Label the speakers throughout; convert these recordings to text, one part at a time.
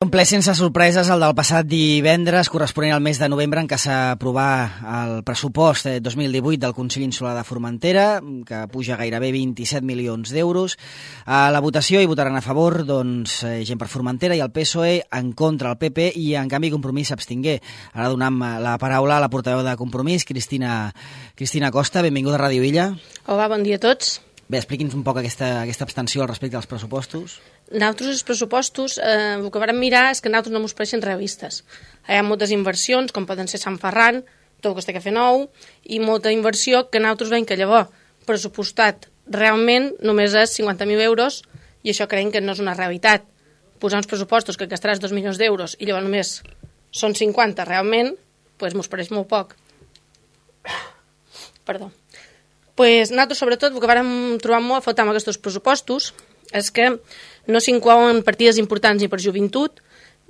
Speaker 1: Un ple sense sorpreses, el del passat divendres, corresponent al mes de novembre, en què s'aprovà el pressupost 2018 del Consell Insular de Formentera, que puja gairebé 27 milions d'euros. A la votació hi votaran a favor gent per Formentera i el PSOE, en contra el PP i, en canvi, Compromís s'abstingué. Ara donem la paraula a la portaveu de Compromís, Cristina Costa. Benvinguda a Ràdio Illa.
Speaker 2: Hola, bon dia a tots.
Speaker 1: Bé, expliqui'ns un poc aquesta abstenció al respecte dels pressupostos.
Speaker 2: Nosaltres, els pressupostos, el que vam mirar és que nosaltres no ens pareixen realistes. Hi ha moltes inversions, com poden ser Sant Ferran, tot el que es té que fer nou, i molta inversió que nosaltres veiem que llavors pressupostat realment només és 50.000 euros, i això creiem que no és una realitat. Posar uns pressupostos que gastaràs 2 milions d'euros i llavors només són 50 realment, doncs mos pareix molt poc. Perdó. Nosaltres, sobretot, el que vam trobar molt a faltar amb aquests pressupostos és que no s'inclouen partides importants ni per joventut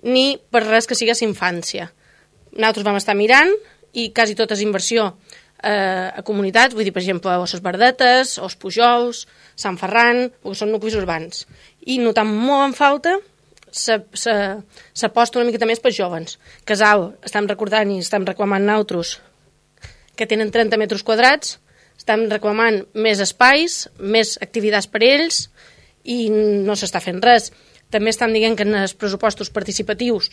Speaker 2: ni per res que sigués infància. Nosaltres vam estar mirant i quasi tota és inversió a comunitats, vull dir, per exemple, Osses Verdetes, Os Pujols, Sant Ferran, que són nuclis urbans. I notam molt en falta s'aposta una miqueta més per joves. Casal, estem recordant i estem reclamant nosaltres que tenen 30 metres quadrats, estem reclamant més espais, més activitats per a ells, i no s'està fent res. També estan dient que en els pressupostos participatius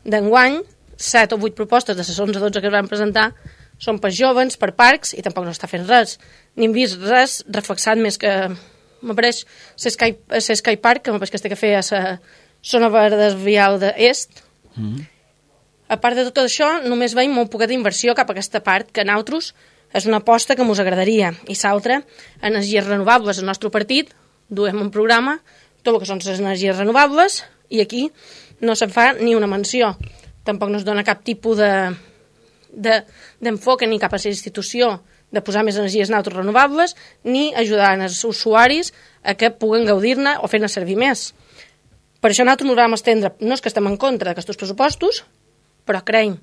Speaker 2: d'enguany, 7 o 8 propostes de les 11 o 12 que es van presentar són per joves, per parcs, i tampoc no està fent res. Ni hem vist res reflexat més que m'apareix l'Sky Park, que m'apareix que es té que fer a la zona verda vial d'est. A part de tot això, només veiem molt poca d'inversió cap a aquesta part, que nosaltres és una aposta que ens agradaria. I l'altra, energies renovables. El nostre partit duem un programa, tot el que són les energies renovables, i aquí no se'n fa ni una menció. Tampoc no es dona cap tipus d'enfoc ni cap a la institució de posar més energies neutres renovables, ni ajudar els usuaris a que puguen gaudir-ne o fer-ne servir més. Per això nosaltres ens vam estendre, no és que estem en contra d'aquests pressupostos, però creiem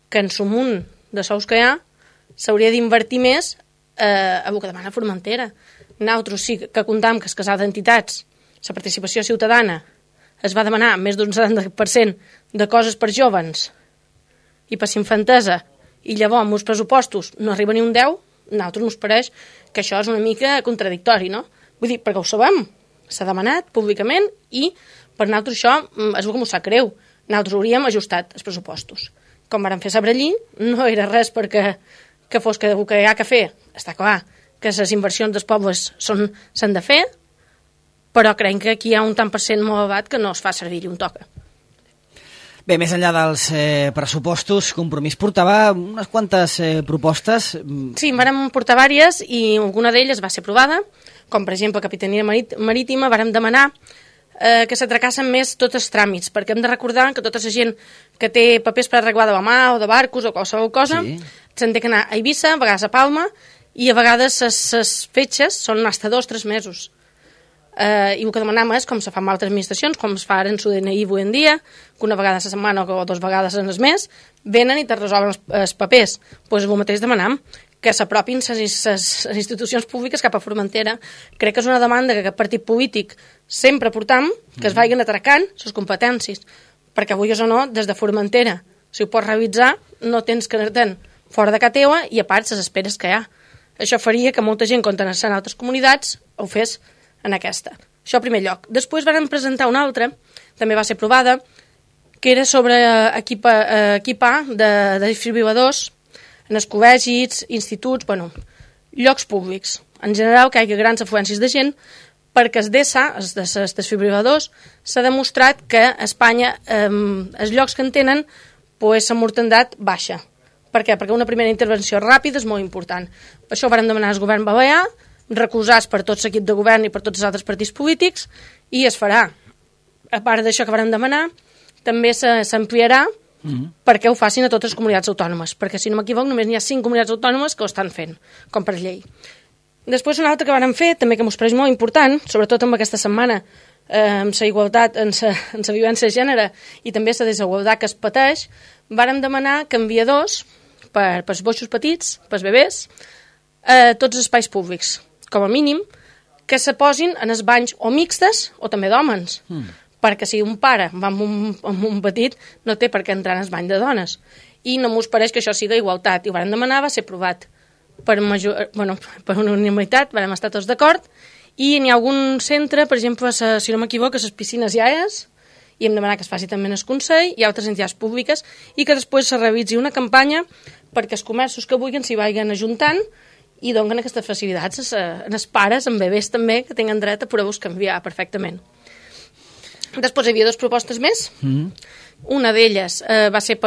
Speaker 2: que en el munt de sous que hi ha s'hauria d'invertir més a el que demana Formentera. Nosaltres sí que comptam que el casal d'entitats, la participació ciutadana, es va demanar més d'un 70% de coses per joves i per infantesa, i llavors amb els pressupostos no arriba ni un 10, a nosaltres ens pareix que això és una mica contradictori, no? Vull dir, perquè ho sabem, s'ha demanat públicament i per nosaltres això és el que ens sap greu. Nosaltres hauríem ajustat els pressupostos. Com vàrem fer a Sabrallí, no era res perquè que fos que el que hi ha que fer. Està clar que les inversions dels pobles s'han de fer, però creiem que aquí hi ha un tant per cent molt elevat que no es fa servir i un toca.
Speaker 1: Bé, més enllà dels pressupostos, Compromís portava unes quantes propostes.
Speaker 2: Sí, en vàrem portar diverses i alguna d'elles va ser aprovada, com per exemple Capitania Marítima, vàrem demanar que s'atracassen més tots els tràmits, perquè hem de recordar que tota la gent que té papers per arreglar de la mà o de barcos o qualsevol cosa, se'n té que anar a Eivissa, a vegades a Palma, i a vegades les fetges són fins a 2 o 3 mesos. I el que demanam és, com se fa amb altres administracions, com es fa ara en su DNI avui en dia, que una vegada a la setmana o 2 vegades en el mes, venen i te resolen els papers. Doncs el mateix demanam, que s'apropin les institucions públiques cap a Formentera. Crec que és una demanda que aquest partit polític sempre portam, que es vagin atracant les competències, perquè avui o no, des de Formentera, si ho pots realitzar, no tens que anar-te'n fora de casa teva i a part les esperes que hi ha. Això faria que molta gent, quan anés en altres comunitats, ho fes en aquesta. Això en primer lloc. Després vam presentar una altra, també va ser aprovada, que era sobre equipar de desfibril·ladors en els col·legis, instituts, llocs públics. En general, que hi hagi grans afluències de gent, perquè els DESA, els desfibril·ladors, s'ha demostrat que a Espanya els llocs que en tenen la mortandat baixa. Per què? Perquè una primera intervenció ràpida és molt important. Per això ho vam demanar al govern balear, recolzats per tot l'equip de govern i per tots els altres partits polítics, i es farà. A part d'això que vam demanar, també s'ampliarà perquè ho facin a totes les comunitats autònomes, perquè si no m'equivoc només n'hi ha 5 comunitats autònomes que ho estan fent, com per llei. Després una altra que vam fer, també que m'ho pareix molt important, sobretot amb aquesta setmana, amb la igualtat, amb la violència de gènere i també la desigualtat que es pateix, vàrem demanar canviadors per als boixos petits, per als bebès, a tots els espais públics, com a mínim, que se posin en els banys o mixtes o també d'hòmens, perquè si un pare va amb un petit no té per què entrar en el bany de dones. I no m'ho pareix que això sigui igualtat. I ho vam demanar, va ser aprovat per unanimitat, vam estar tots d'acord, i n'hi ha algun centre, per exemple, si no m'equivoco, les piscines ja i hem demanat que es faci també en el Consell, i altres entitats públiques, i que després se realitzi una campanya perquè els comerços que vulguin s'hi vagin ajuntant i donen aquestes facilitats als pares, amb bebès també, que tenen dret a poder-vos canviar perfectament. Després hi havia dues propostes més. Una d'elles va ser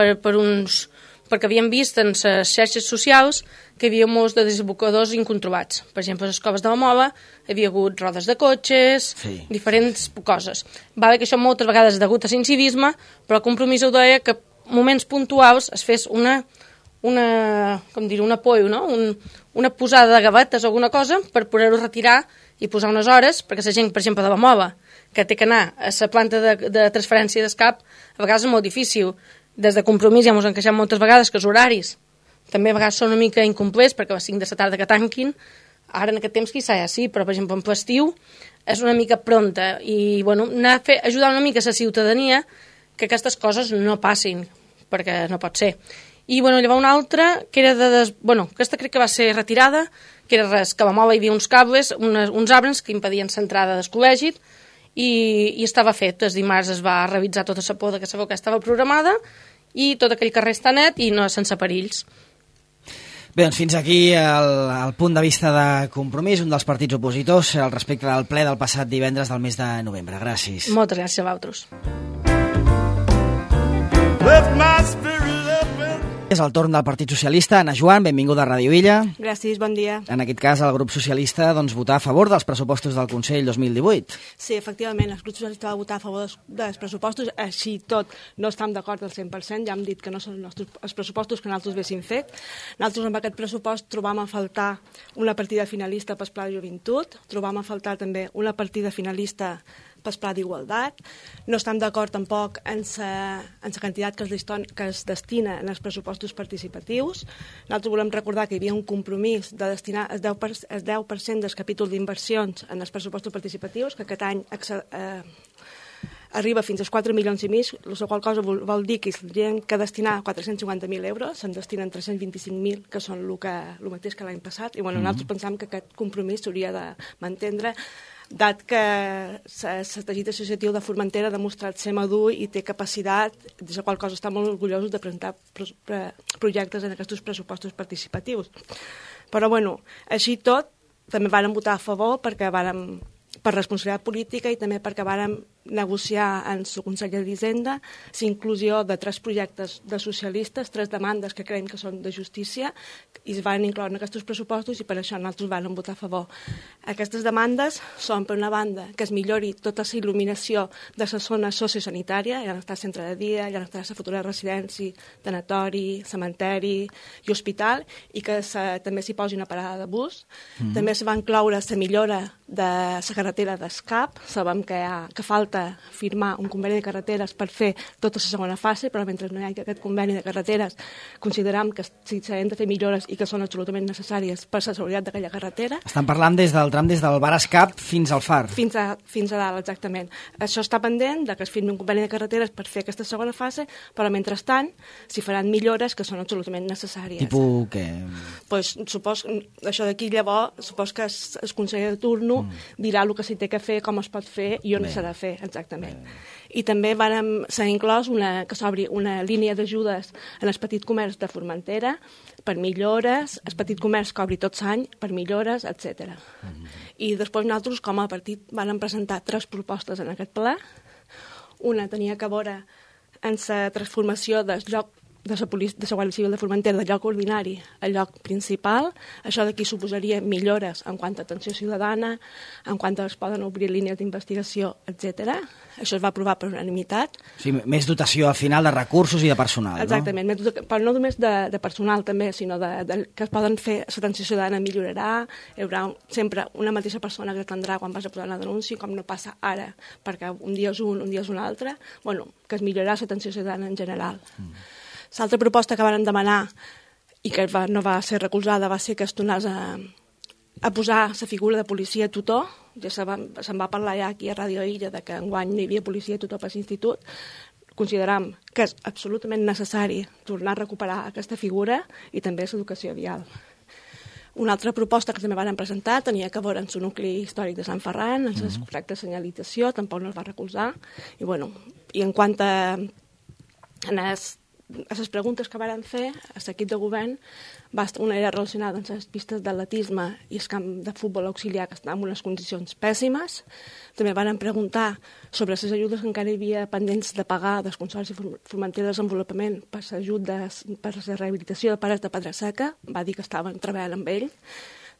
Speaker 2: perquè havíem vist en les xarxes socials que hi havia molts de desembocadors incontrolats. Per exemple, a les coves de la Mola hi havia hagut rodes de cotxes, diferents coses. Va bé que això moltes vegades degut a l'incivisme, però el compromís ho deia que moments puntuals es fes un apoyo, no? Una posada de gavetes o alguna cosa per poder-ho retirar i posar unes hores, perquè la gent, per exemple, de la Mola, que té que anar a la planta de transferència d'escap, a vegades és molt difícil. Des de Compromís ja ens han queixat moltes vegades que els horaris també a vegades són una mica incomplets perquè a les 5 de la tarda que tanquin, ara en aquest temps quizà ja sí, però per exemple en l'estiu és una mica pronta i anar a ajudar una mica a la ciutadania que aquestes coses no passin, perquè no pot ser. I llavors una altra, que era aquesta crec que va ser retirada, que era res, que a la Mola hi havia uns cables, uns arbres que impedien l'entrada del col·legi i estava fet. El dimarts es va revisar tota la poda que sabeu que estava programada i tot aquell carrer està net i no sense perills.
Speaker 1: Bé, doncs fins aquí el punt de vista de Compromís, un dels partits opositors al respecte del ple del passat divendres del mes de novembre. Gràcies.
Speaker 2: Moltes gràcies a vosaltres.
Speaker 1: És el torn del Partit Socialista. Ana Joan, benvinguda a Ràdio Illa.
Speaker 3: Gràcies, bon dia.
Speaker 1: En aquest cas, el grup socialista votar a favor dels pressupostos del Consell 2018.
Speaker 3: Sí, efectivament, el grup socialista va votar a favor dels pressupostos, així tot no estem d'acord al 100%, ja hem dit que no són els pressupostos que nosaltres haguéssim fet. Nosaltres amb aquest pressupost trobam a faltar una partida finalista pel Pla de Joventut, trobam a faltar també una partida finalista pel Pla d'Igualtat. No estem d'acord tampoc en la quantitat que es destina en els pressupostos participatius. Nosaltres volem recordar que hi havia un compromís de destinar el 10% del capítol d'inversions en els pressupostos participatius, que aquest any arriba fins als 4,5 milions, la qual cosa vol dir que hi ha que destinar 450.000 euros, se'n destinen 325.000, que són el mateix que l'any passat, i nosaltres pensam que aquest compromís s'hauria de mantenir, dat que el teixit associatiu de Formentera ha demostrat ser madur i té capacitat, de la qual cosa estan molt orgullosos de presentar projectes en aquests pressupostos participatius. Però, així tot, també vàrem votar a favor perquè vàrem per responsabilitat política i també perquè vàrem negociar en el Consell d'Hisenda l'inclusió de 3 projectes de socialistes, 3 demandes que creiem que són de justícia i es van incloure en aquests pressupostos i per això nosaltres vam votar a favor. Aquestes demandes són, per una banda, que es millori tota la il·luminació de la zona sociosanitària, ja no està el centre de dia, ja no està la futura residència, tanatori, cementeri i hospital, i que també s'hi posi una parada de bus. També es va incloure la millora de la carretera d'Escap. Sabem que falta firmar un conveni de carreteres per fer tota la segona fase, però mentre no hi hagi aquest conveni de carreteres consideram que si s'han de fer millores i que són absolutament necessàries per la seguretat d'aquella carretera.
Speaker 1: Estan parlant des del tram des del bar Escap fins al Far.
Speaker 3: Fins a dalt, exactament. Això està pendent de que es firmi un conveni de carreteres per fer aquesta segona fase, però mentrestant s'hi faran millores que són absolutament necessàries.
Speaker 1: Tipus què?
Speaker 3: Pues, això d'aquí llavors, supos que el conseller de turno dirà el que s'hi té que fer, com es pot fer i on s'ha de fer, exactament. I també s'ha inclòs que s'obri una línia d'ajudes en el petit comerç de Formentera per millores, el petit comerç que obri tot l'any per millores, etc. I després nosaltres, com a partit, vam presentar 3 propostes en aquest ple. Una tenia que veure en la transformació del lloc de la Guàrdia Civil de Formentera de lloc ordinari al lloc principal. Això d'aquí suposaria millores en quant a atenció ciutadana, en quant a es poden obrir línies d'investigació, etc. Això es va aprovar per unanimitat.
Speaker 1: Sí, més dotació al final de recursos i de personal,
Speaker 3: exactament, no? Però no només de personal també, sinó que es poden fer, l'atenció ciutadana millorarà, hi haurà sempre una mateixa persona que atendrà quan vas a posar una denúncia, com no passa ara, perquè un dia és un dia és un altre, que es millorarà l'atenció ciutadana en general. L'altra proposta que van demanar i que no va ser recolzada va ser que es tornés a posar la figura de policia tutor ja se'n va parlar ja aquí a Ràdio Illa de que enguany no hi havia policia a tot el pas institut, consideram que és absolutament necessari tornar a recuperar aquesta figura i també l'educació vial. Una altra proposta que també van presentar tenia que veure en el nucli històric de Sant Ferran, en les correctes de senyalització, tampoc no es va recolzar. I en quant a les preguntes que varen fer, a l'equip de govern, una era relacionada amb les pistes d'atletisme i el camp de futbol auxiliar, que estan en unes condicions pèssimes. També varen preguntar sobre les ajudes que encara hi havia pendents de pagar del Consorci Formentera de Desenvolupament per la rehabilitació de pares de Pedra Seca. Va dir que estaven treballant amb ell.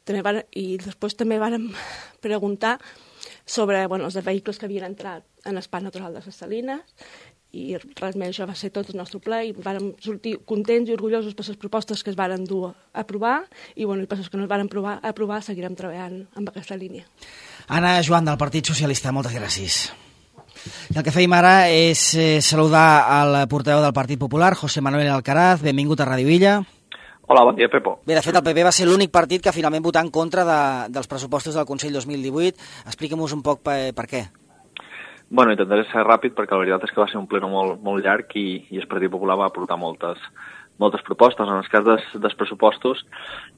Speaker 3: I després també varen preguntar sobre els vehicles que havien entrat en el Parc Natural de les Salines, i res més, això va ser tot el nostre ple i vam sortir contents i orgullosos per les propostes que es varen dur a aprovar i per les que no es varen aprovar seguirem treballant amb aquesta línia.
Speaker 1: Anna Joan, del Partit Socialista, moltes gràcies. I el que feim ara és saludar al portaveu del Partit Popular, José Manuel Alcaraz. Benvingut a Ràdio Illa.
Speaker 4: Hola, bon dia, Pepo.
Speaker 1: Bé, de fet, el PP va ser l'únic partit que finalment votà en contra dels pressupostos del Consell 2018. Expliquem-nos un poc per què.
Speaker 4: Bueno, intentaré ser ràpid perquè la veritat és que va ser un pleno molt llarg i el Partit Popular va aportar moltes propostes. En el cas dels pressupostos,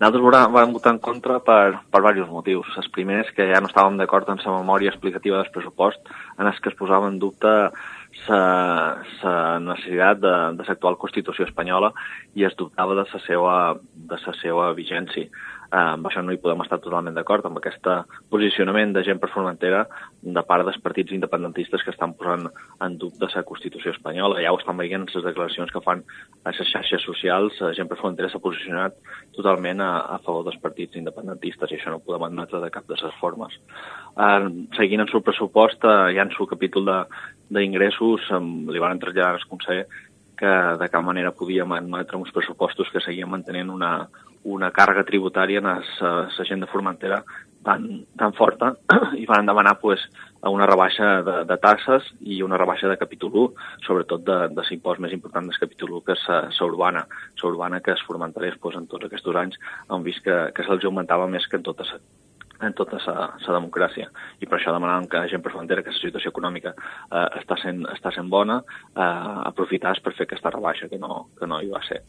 Speaker 4: nosaltres vam votar en contra per diversos motius. Els primers, que ja no estàvem d'acord amb la memòria explicativa del pressupost, en els que es posava en dubte la necessitat de l'actual Constitució espanyola i es dubtava de la seva vigència. Amb això no hi podem estar totalment d'acord, amb aquest posicionament de gent per Formentera de part dels partits independentistes que estan posant en dubte la Constitució espanyola. Ja ho estan veient les declaracions que fan a les xarxes socials. La gent per Formentera s'ha posicionat totalment a favor dels partits independentistes i això no ho podem admetre de cap de les formes. Seguint en el pressupost, ja en el capítol d'ingressos, li van traslladar al Consell que de cap manera podíem admetre uns pressupostos que seguien mantenint una càrrega tributària en la gent de Formentera tan forta i van demanar una rebaixa de taxes i una rebaixa de capítol 1, sobretot de l'impost més important del capítol 1, que és la urbana. La urbana que els formenterers en tots aquests anys han vist que se'ls augmentava més que en tota la democràcia. I per això demanàvem que la gent per Formentera, que la situació econòmica està sent bona, aprofités per fer aquesta rebaixa, que no hi va ser.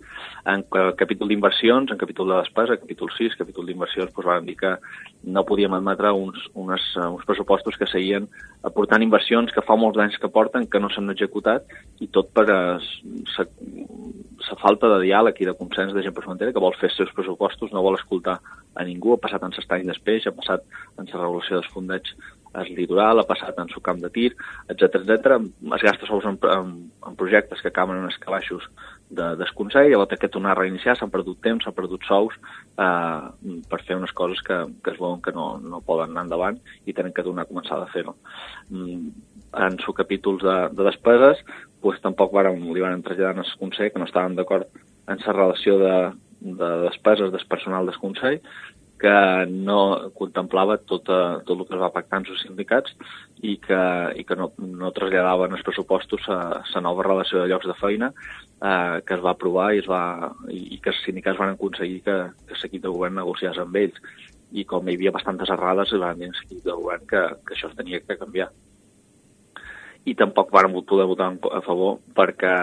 Speaker 4: En capítol d'inversions, en capítol de despesa, capítol 6, capítol d'inversions, vam dir que no podíem admetre uns pressupostos que seguien aportant inversions que fa molts anys que porten, que no s'han executat, i tot per la falta de diàleg i de consens de gent per Formentera, que vol fer els seus pressupostos, no vol escoltar a ningú. Ha passat en l'estany d'Espeix, ha passat en la regulació dels fondets al litoral, ha passat en el camp de tir, etc. Es gasta sous en projectes que acaben en els calaixos del Consell, llavors que tornar a reiniciar, s'han perdut temps, s'han perdut sous per fer unes coses que es veuen que no poden anar endavant i tenen que tornar a començar a fer-ho. En els capítols de despeses, tampoc li van traslladar al Consell que no estaven d'acord en la relació de despeses del personal del Consell, que no contemplava tot el que es va pactar amb els sindicats i que no traslladaven els pressupostos a la nova relació de llocs de feina que es va aprovar i que els sindicats van aconseguir que l'equip de govern negociés amb ells. I com hi havia bastantes errades, van dir a l'equip de govern que això es tenia que canviar. I tampoc vam poder votar a favor perquè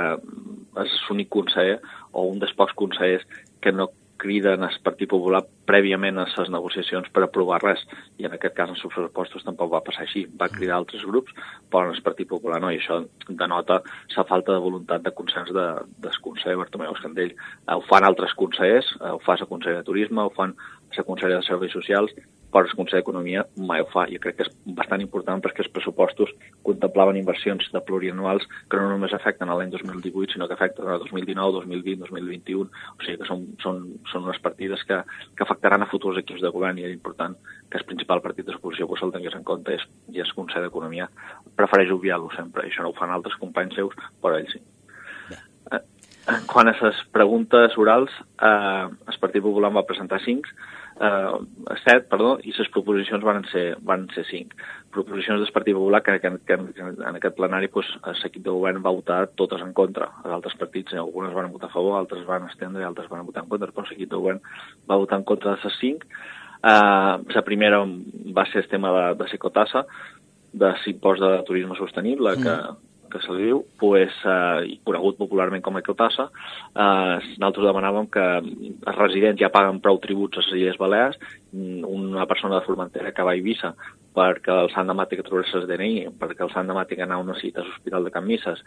Speaker 4: és l'únic conseller o un dels pocs consellers que no criden al Partit Popular prèviament a les negociacions per aprovar res, i en aquest cas en els pressupostos tampoc va passar així. Va cridar altres grups, però en el Partit Popular no, i això denota la falta de voluntat de consens del conseller Bartomeu Escandell. Ho fan altres consellers, ho fa la consellera de Turisme, ho fan la consellera de Serveis Socials, però el Consell d'Economia mai ho fa. Jo crec que és bastant important perquè els pressupostos contemplaven inversions de plurianuals que no només afecten l'any 2018, sinó que afecten el 2019, 2020, 2021. O sigui que són unes partides que afectaran a futurs equips de govern i és important que el principal partit d'oposició se'l tingués en compte i el Consell d'Economia prefereix obviar-lo sempre. I això no ho fan altres companys seus, però ells sí. Quan a les preguntes orals, el Partit Popular va presentar 7, i les proposicions van ser 5. Proposicions del Partit Popular que en aquest plenari l'equip de govern va votar totes en contra. Els altres partits, algunes van votar a favor, altres van estendre i altres van votar en contra, però l'equip de govern va votar en contra de les 5. La primera va ser el tema de l'ecotassa, de l'impost de turisme sostenible, que se li diu, conegut popularment com a ecotassa. Nosaltres demanàvem que els residents ja paguen prou tributs a les Illes Balears. Una persona de Formentera que va a Eivissa perquè el sant demà té que trobar el DNI, perquè el sant demà té que anar a una cita a l'Hospital de Can Misses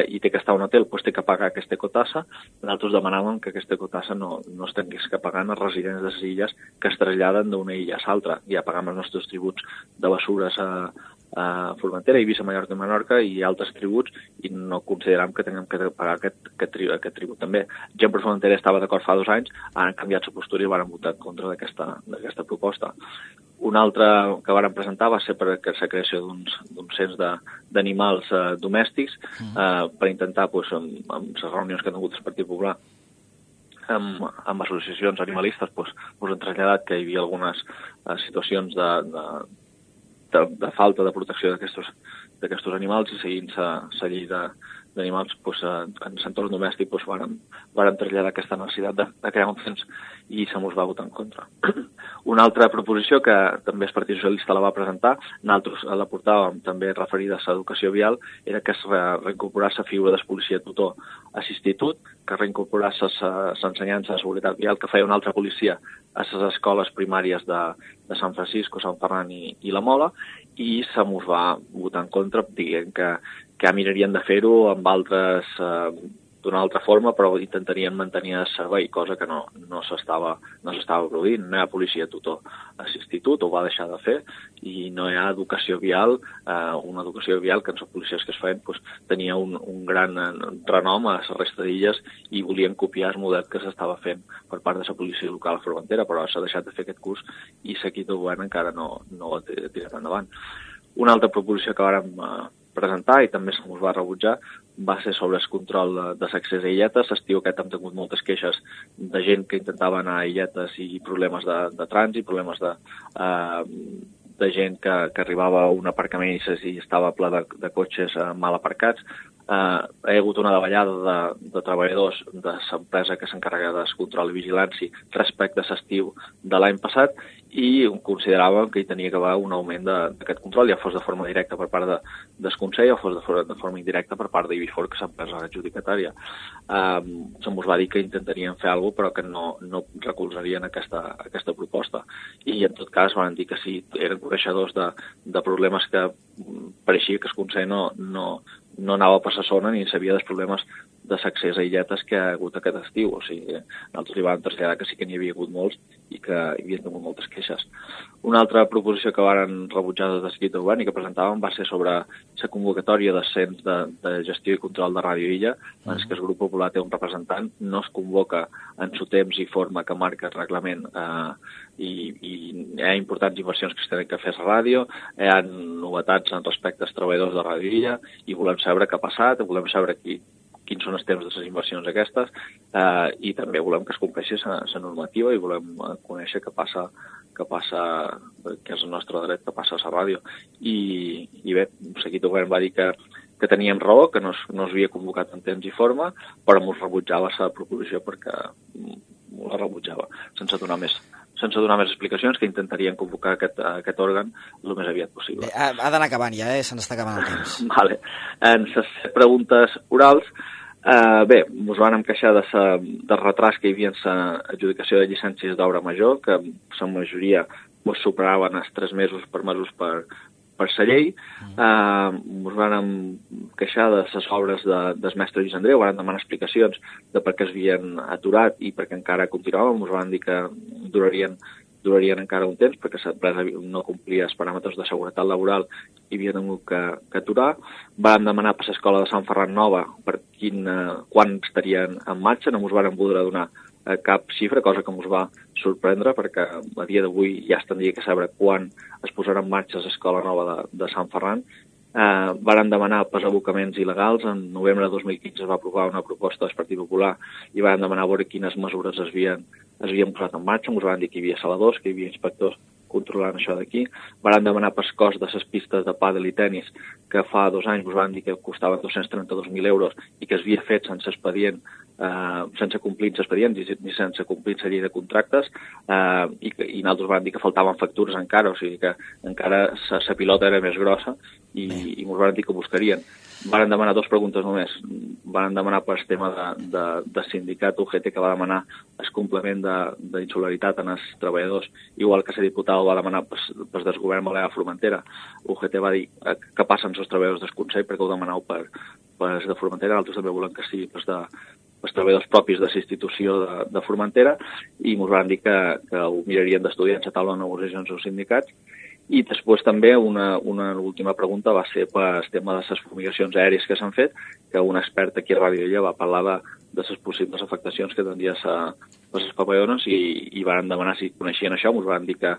Speaker 4: i té que estar a un hotel, té que pagar aquesta ecotassa. Nosaltres demanàvem que aquesta ecotassa no es tingués que pagar als residents de les illes que es traslladen d'una illa a l'altra. Ja pagam els nostres tributs de bessures a Formentera, Eivissa, Mallorca i Menorca i altres tributs, i no consideram que tinguem que pagar aquest tribut també. Gent per Formentera estava d'acord fa 2 anys, han canviat la postura i van votar en contra d'aquesta proposta. Un altre que varen presentar va ser per la creació d'un cens d'animals domèstics per intentar, amb les reunions que ha tingut el Partit Popular amb associacions animalistes, han traslladat que hi havia algunes situacions de falta de protecció d'aquests animals, i seguint la llei d'animals en l'entorn domèstic varen traslladar aquesta necessitat de crear un cens, i se mos va votar en contra. Una altra proposició que també el Partit Socialista la va presentar, nosaltres la portàvem també referida a l'educació vial, era que es reincorporés la figura del policia tutor a l'institut, que reincorporés l'ensenyança de seguretat vial que feia una altra policia a les escoles primàries de Sant Francisco, Sant Ferran i la Mola, i se mos va votar en contra, dient que mirarien de fer-ho amb altres d'una altra forma, però intentarien mantenir el servei, cosa que no s'estava produint. No hi ha policia tutor a l'institut, ho va deixar de fer, i no hi ha educació vial, una educació vial que en les policies que es feien tenia un gran renom a la resta d'illes, i volien copiar el model que s'estava fent per part de la policia local a Formentera, però s'ha deixat de fer aquest curs i l'equip de govern encara no ho ha tirat endavant. Una altra proposició que vàrem presentar, i també se mos va rebutjar, va ser sobre el control de l'accés a illetes. L'estiu aquest hem tingut moltes queixes de gent que intentava anar a illetes i problemes de trànsit, problemes de gent que arribava a un aparcament i estava ple de cotxes mal aparcats. Hi ha hagut una davallada de treballadors de l'empresa que s'encarrega del control i vigilància respecte a l'estiu de l'any passat, i consideràvem que hi tenia que haver un augment d'aquest control, ja fos de forma directa per part del Consell o fos de forma indirecta per part d'Ibifor, que és l'empresa adjudicatària. Se mos va dir que intentarien fer alguna cosa, però que no recolzarien aquesta proposta. I en tot cas van dir que si eren coneixedors de problemes que pareixia que el Consell no anava per la zona ni sabia dels problemes de l'accés a illetes que ha hagut aquest estiu. O sigui, nosaltres li vam traslladar que sí que n'hi havia hagut molts i que hi havia tingut moltes queixes. Una altra proposició que varen rebutjar des d'equip de govern i que presentàvem va ser sobre la convocatòria de cens de gestió i control de Ràdio Illa, en què el grup popular té un representant, no es convoca en su temps i forma que marca el reglament, i hi ha importants inversions que es tenen que fer a la ràdio, hi ha novetats en respecte als treballadors de Ràdio Illa, i volem saber què ha passat, volem saber quins són els temps de les inversions aquestes, i també volem que es compleixi la normativa i volem conèixer què passa, que és el nostre dret, que passa a la ràdio. I bé, l'equip de govern va dir que teníem raó, que no s'havia convocat en temps i forma, però ens rebutjava la proposició perquè la rebutjava, sense donar més explicacions, que intentarien convocar aquest òrgan el més aviat possible.
Speaker 1: Ha d'anar acabant ja, se n'està acabant el temps.
Speaker 4: Vale. En les preguntes orals, ens van queixar del retras que hi havia en l'adjudicació de llicències d'obra major, que la majoria superaven els 3 mesos permesos per la llei. Ens van queixar de les obres del mestre Lluís Andreu, van demanar explicacions de per què es havien aturat i per què encara continuaven. Ens van dir que durarien encara un temps perquè l'empresa no complia els paràmetres de seguretat laboral i havia hagut que aturar. Van demanar per l'escola de Sant Ferran Nova per quan estarien en marxa, no ens van voler donar cap xifra, cosa que ens va sorprendre perquè a dia d'avui ja es tindria que saber quan es posarà en marxa l'escola nova de Sant Ferran. Varen demanar per abocaments il·legals. En novembre de 2015 es va aprovar una proposta del Partit Popular i varen demanar veure quines mesures es havien posat en marxa. Ens van dir que hi havia saladors, que hi havia inspectors controlant això d'aquí. Varen demanar per cost de les pistes de pàdel i tenis, que fa 2 anys ens van dir que costaven 232.000 euros i que es havia fet sense expedient sense complir els expedients ni sense complir la llei de contractes, i nosaltres vam dir que faltaven factures encara, o sigui que encara la pilota era més grossa i ens van dir que buscarien. Van demanar 2 preguntes només. Van demanar per el tema de sindicat UGT, que va demanar el complement d'insularitat en els treballadors, igual que la diputada ho va demanar per desgovern Balear Formentera. UGT va dir que passen els treballadors del Consell perquè ho demaneu per els de Formentera, altres també volen que sigui els treballadors propis de la institució de Formentera, i ens van dir que ho mirarien d'estudiar en la taula de negociacions dels sindicats. I després també una última pregunta va ser per el tema de les fumigacions aèries que s'han fet, que un expert aquí a Ràdio Illa va parlar de les possibles afectacions que tindria les papallones, i van demanar si coneixien això. Ens van dir que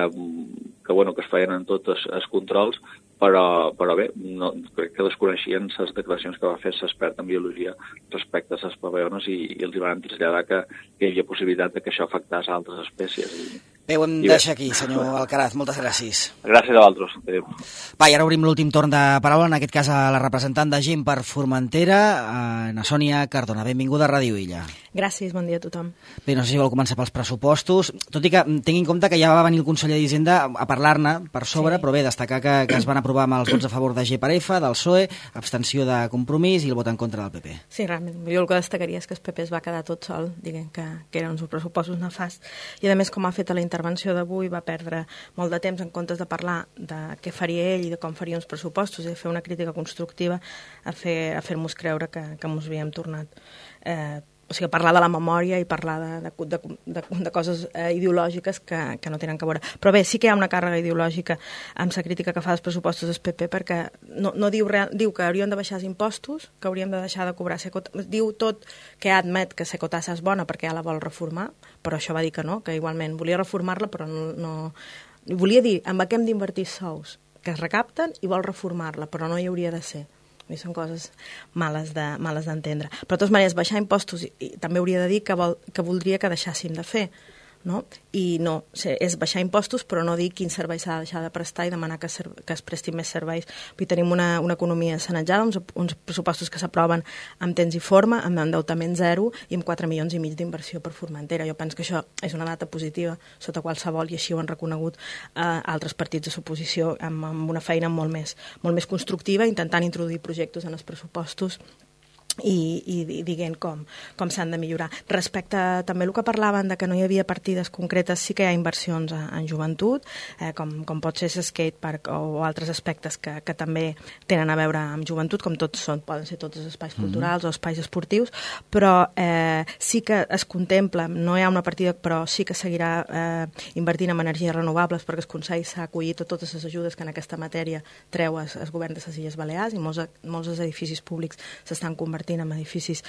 Speaker 4: es feien en tots els controls, però bé, no, crec que desconeixien les declaracions que va fer l'expert en biologia respecte a les papallones, i els van traslladar que hi havia possibilitat que això afectés a altres espècies.
Speaker 1: Bé, ho hem de deixar aquí, senyor Alcaraz. Moltes gràcies.
Speaker 4: Gràcies a vosaltres. Adéu.
Speaker 1: Va, i ara obrim l'últim torn de paraula, en aquest cas a la representant de GIM per Formentera, na Sònia Cardona. Benvinguda a Ràdio Illa.
Speaker 5: Gràcies, bon dia a tothom.
Speaker 1: Bé, no sé si vol començar pels pressupostos, tot i que tingui en compte que ja va venir el conseller d'Hisenda a parlar-ne per sobre, sí. Però bé, destacar que es van aprovar amb els vots a favor de GPRF, del PSOE, abstenció de Compromís i el vot en contra del PP.
Speaker 5: Sí, realment, jo el que destacaria és que el PP es va quedar tot sol, diguem que eren uns pressupostos nefasts, i a més, com ha fet a la intervenció d'avui, va perdre molt de temps en comptes de parlar de què faria ell i de com faria uns pressupostos, i de fer una crítica constructiva a fer-nos creure que ens havíem tornat. O sigui, parlar de la memòria i parlar de coses ideològiques que no tenen que veure. Però bé, sí que hi ha una càrrega ideològica amb la crítica que fa dels pressupostos del PP, perquè no diu que hauríem de baixar els impostos, que hauríem de deixar de cobrar secotassa. Diu tot que admet que secotassa és bona perquè ja la vol reformar, però això va dir que no, que igualment volia reformar-la, però no... Volia dir, amb què hem d'invertir sous que es recapten, i vol reformar-la, però no hi hauria de ser. I són coses males d'entendre. Però de totes maneres, baixar impostos i també hauria de dir que voldria que deixàssim de fer, no? I no, és baixar impostos, però no dir quin servei s'ha de deixar de prestar i demanar que es prestin més serveis. Vull dir, tenim una economia sanejada, uns pressupostos que s'aproven amb temps i forma, amb endeutament zero i amb 4,5 milions d'inversió per Formentera. Jo penso que això és una data positiva sota qualsevol, i així ho han reconegut altres partits de l'oposició amb una feina molt més constructiva, intentant introduir projectes en els pressupostos i dient com s'han de millorar. Respecte també el que parlaven de que no hi havia partides concretes, sí que hi ha inversions en joventut, com pot ser skatepark o altres aspectes que també tenen a veure amb joventut, com poden ser tots els espais culturals o espais esportius, però sí que es contempla, no hi ha una partida, però sí que seguirà invertint en energies renovables, perquè el Consell s'ha acollit a totes les ajudes que en aquesta matèria treu el govern de les Illes Balears, i molts dels edificis públics s'estan convertint en edificis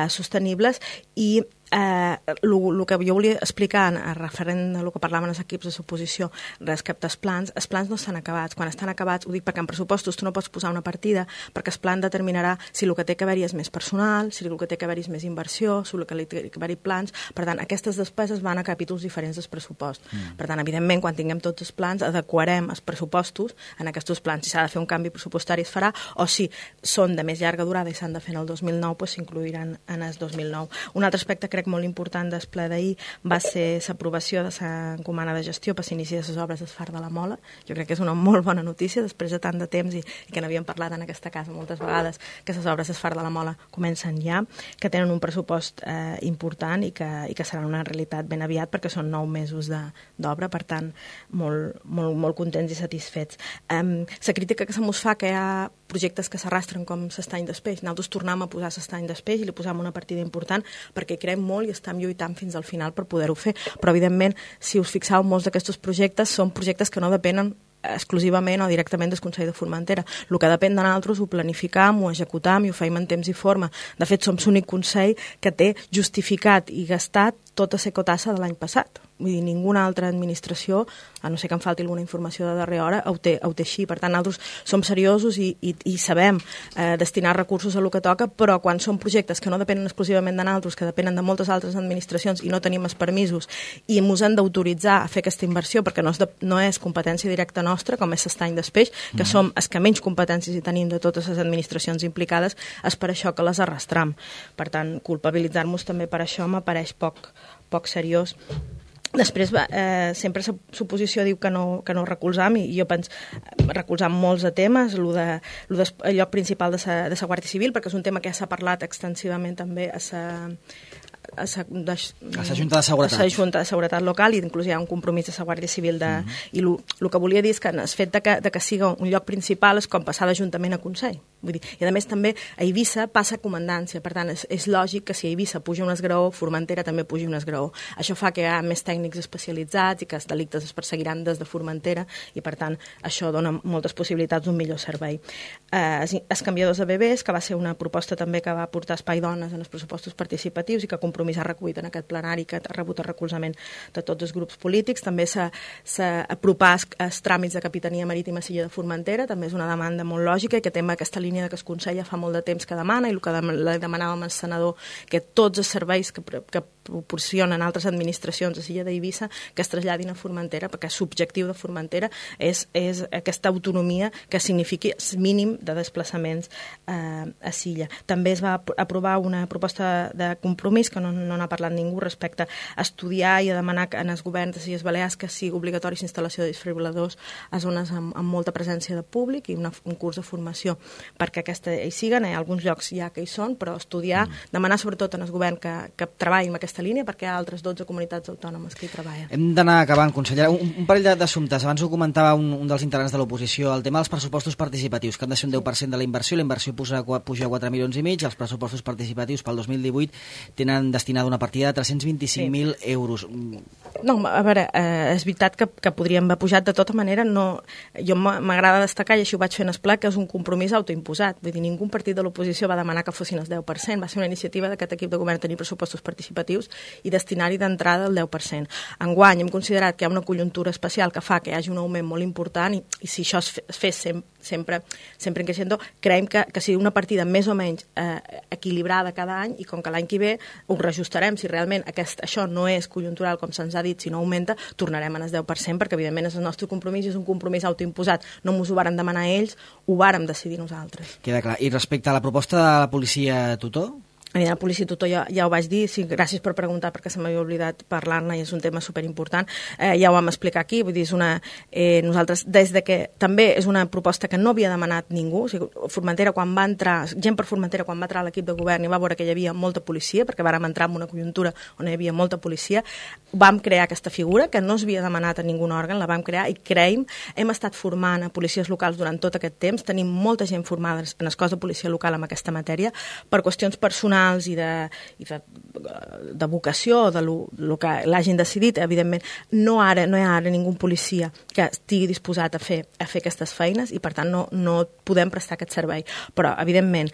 Speaker 5: sostenibles. I el que jo volia explicar referent a el que parlaven els equips de l'oposició respecte als plans, els plans no estan acabats. Quan estan acabats, ho dic perquè en pressupostos tu no pots posar una partida, perquè el plan determinarà si el que té que haver-hi és més personal, si el que té que haver-hi és més inversió, si el que té que haver-hi plans. Per tant, aquestes despeses van a capítols diferents del pressupost. Per tant, evidentment, quan tinguem tots els plans, adequarem els pressupostos en aquests plans. Si s'ha de fer un canvi pressupostari es farà, o si són de més llarga durada i s'han de fer en el 2009, doncs s'incluiran en el 2009. Un altre aspecte crec molt important del ple d'ahir va ser l'aprovació de l'encomana de gestió per s'iniciar les obres del Far de la Mola. Jo crec que és una molt bona notícia, després de tant de temps i que n'havíem parlat en aquesta casa moltes vegades, que les obres del Far de la Mola comencen ja, que tenen un pressupost important i que seran una realitat ben aviat, perquè són 9 mesos d'obra, per tant, molt contents i satisfets. La crítica que se mos fa que hi ha projectes que s'arrastren com l'estany d'Espeix, nosaltres tornem a posar l'estany d'Espeix i li posam una partida important perquè hi creiem molt i estem lluitant fins al final per poder-ho fer. Però, evidentment, si us fixeu, molts d'aquests projectes són projectes que no depenen exclusivament o directament del Consell de Formentera. El que depèn de nosaltres ho planificam, ho executam i ho feim en temps i forma. De fet, som l'únic Consell que té justificat i gastat tota la secotassa de l'any passat. vull dir, ninguna altra administració, a no ser que em falti alguna informació de darrera hora, ho té així. Per tant, nosaltres som seriosos i sabem destinar recursos a lo que toca, però quan són projectes que no depenen exclusivament de nosaltres, que depenen de moltes altres administracions i no tenim els permisos i ens han d'autoritzar a fer aquesta inversió, perquè no és competència directa nostra, com és l'estany d'Espeix, que som els que menys competències hi tenim de totes les administracions implicades, és per això que les arrastram. Per tant, culpabilitzar-nos també per això m'apareix poc seriós. Després, sempre l'oposició diu que no recolzam, i jo penso recolzam molts de temes, el lloc principal de la Guàrdia Civil, perquè és un tema que ja s'ha parlat extensivament també a la
Speaker 1: Junta de Seguretat.
Speaker 5: A la Junta de Seguretat local, i inclús hi ha un compromís de la Guàrdia Civil i el que volia dir és que el fet de que siga un lloc principal és com passar d'Ajuntament a Consell. Vull dir, i a més també a Eivissa passa comandància, per tant és lògic que si a Eivissa puja un esgraó, Formentera també pugi un esgraó. Això fa que hi ha més tècnics especialitzats i que els delictes es perseguiran des de Formentera, i per tant això dona moltes possibilitats d'un millor servei. Els canviadors de bebès, que va ser una proposta també que va portar Espai Dones en els pressupostos participatius i que Compromís ha recollit en aquest plenari, que ha rebut el recolzament de tots els grups polítics. També s'apropar els tràmits de Capitania Marítima a Silla de Formentera, també és una demanda molt lògica i que té aquesta línia que es consella fa molt de temps que demana, i el que demanàvem al senador, que tots els serveis que proporcionen altres administracions a Silla d'Eivissa que es traslladin a Formentera, perquè l'objectiu de Formentera és aquesta autonomia que signifiqui el mínim de desplaçaments a Silla. També es va aprovar una proposta de Compromís, que no n'ha parlat ningú, respecte a estudiar i a demanar en els governs de Illes Balears que sigui obligatori la instal·lació de desfibril·ladors a zones amb molta presència de públic, i un curs de formació perquè aquesta hi siguen. Hi ha alguns llocs ja que hi són, però estudiar, demanar sobretot en el govern que treballin en aquesta línia, perquè hi ha altres 12 comunitats autònomes que hi treballen.
Speaker 1: Hem d'anar acabant, consellera. Un parell d'assumptes. Abans ho comentava un dels integrants de l'oposició, el tema dels pressupostos participatius, que han de ser un 10% de la inversió puja a 4,5 milions, i els pressupostos participatius pel 2018 tenen destinada una partida de 325.000 euros.
Speaker 5: No, a veure, és veritat que podríem haver pujat de tota manera. Jo m'agrada destacar, i així ho vaig fer en el ple, que és un compromís autoimposat. Vull dir, ningú partit de l'oposició va demanar que fossin el 10%. Va ser una iniciativa d'aquest equip de govern tenir pressupostos participatius i destinar-hi d'entrada el 10%. Enguany hem considerat que hi ha una conjuntura especial que fa que hi hagi un augment molt important, i si això es fes sempre en creixendo, creiem que sigui una partida més o menys equilibrada cada any, i com que l'any que ve ho reajustarem. Si realment això no és conjuntural, com se'ns ha dit, si no augmenta, tornarem en el 10%, perquè evidentment és el nostre compromís, és un compromís autoimposat. No ens ho vàrem demanar ells, ho vàrem decidir nosaltres.
Speaker 1: Queda clar. I respecte a la proposta de la policia tutor?
Speaker 5: La policia tutor ja ho vaig dir, sí, gràcies per preguntar, perquè se m'havia oblidat parlar-ne i és un tema superimportant. Ja ho vam explicar aquí, vull dir, nosaltres, des de que també és una proposta que no havia demanat ningú, o sigui, Formentera, quan va entrar, gent per Formentera, quan va entrar a l'equip de govern i va veure que hi havia molta policia, perquè vàrem entrar en una conjuntura on hi havia molta policia, vam crear aquesta figura, que no s'havia demanat a ningú òrgan, la vam crear, i creiem, hem estat formant a policies locals durant tot aquest temps, tenim molta gent formada en el cos de policia local en aquesta matèria, per qüestions personals i de vocació, de lo que l'hagin decidit. Evidentment, no hi ha ara ningú policia que estigui disposat a fer aquestes feines, i per tant no podem prestar aquest servei. Però, evidentment,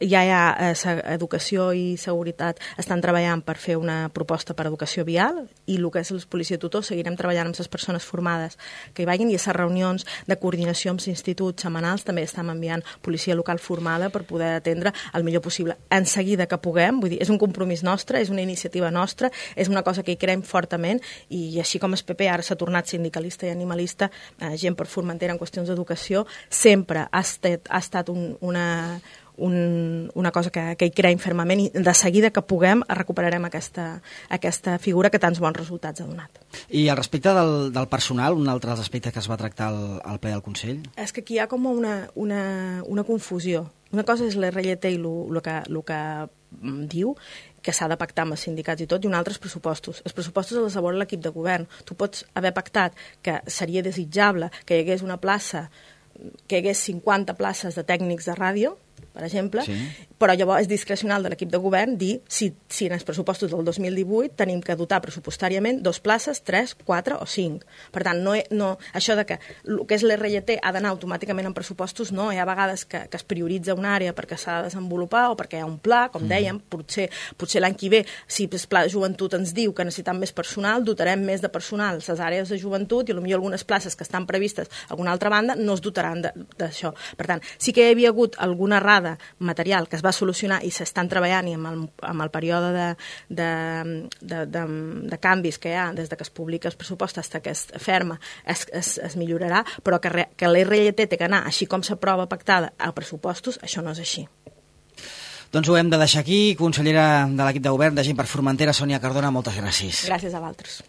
Speaker 5: ja hi ha educació i seguretat, estan treballant per fer una proposta per educació vial, i el que és la policia tutor seguirem treballant amb les persones formades que hi vagin, i a les reunions de coordinació amb l'institut setmanals també estem enviant policia local formada per poder atendre el millor possible. En seguida que puguem, vull dir, és un compromís nostre, és una iniciativa nostra, és una cosa que hi creiem fortament, i així com el PP ara s'ha tornat sindicalista i animalista, gent per Formentera en qüestions d'educació, sempre ha estat una cosa que hi creiem fermament, i de seguida que puguem recuperarem aquesta figura que tants bons resultats ha donat.
Speaker 1: I al respecte del personal, un altre dels aspectes que es va tractar al ple del Consell?
Speaker 5: És que aquí hi ha com una confusió. Una cosa és l'RLT i el que diu, que s'ha de pactar amb els sindicats i tot, i un altre és pressupostos. Els pressupostos els elabora l'equip de govern. Tu pots haver pactat que seria desitjable que hi hagués una plaça, que hi hagués 50 places de tècnics de ràdio, per exemple,
Speaker 1: Sí.
Speaker 5: però llavors és discrecional de l'equip de govern dir si en els pressupostos del 2018 tenim que dotar pressupostàriament 2 places, 3, 4 o 5. Per tant, això de que el que és l'RLT ha d'anar automàticament en pressupostos, no. Hi ha vegades que es prioritza una àrea perquè s'ha de desenvolupar o perquè hi ha un pla, com dèiem, potser l'any que ve, si el pla de joventut ens diu que necessitem més personal, dotarem més de personal a les àrees de joventut i potser algunes places que estan previstes a alguna altra banda no es dotaran d'això. Per tant, sí que hi havia hagut alguna errada material que es va solucionar i s'estan treballant i amb el període de canvis que hi ha des que es publica el pressupost fins que es ferma es millorarà, però que l'RLT té que anar així com s'aprova pactada a pressupostos, això no és així.
Speaker 1: Doncs ho hem de deixar aquí. Consellera de l'equip de govern de Gent per Formentera, Sònia Cardona, moltes gràcies.
Speaker 5: Gràcies a vosaltres.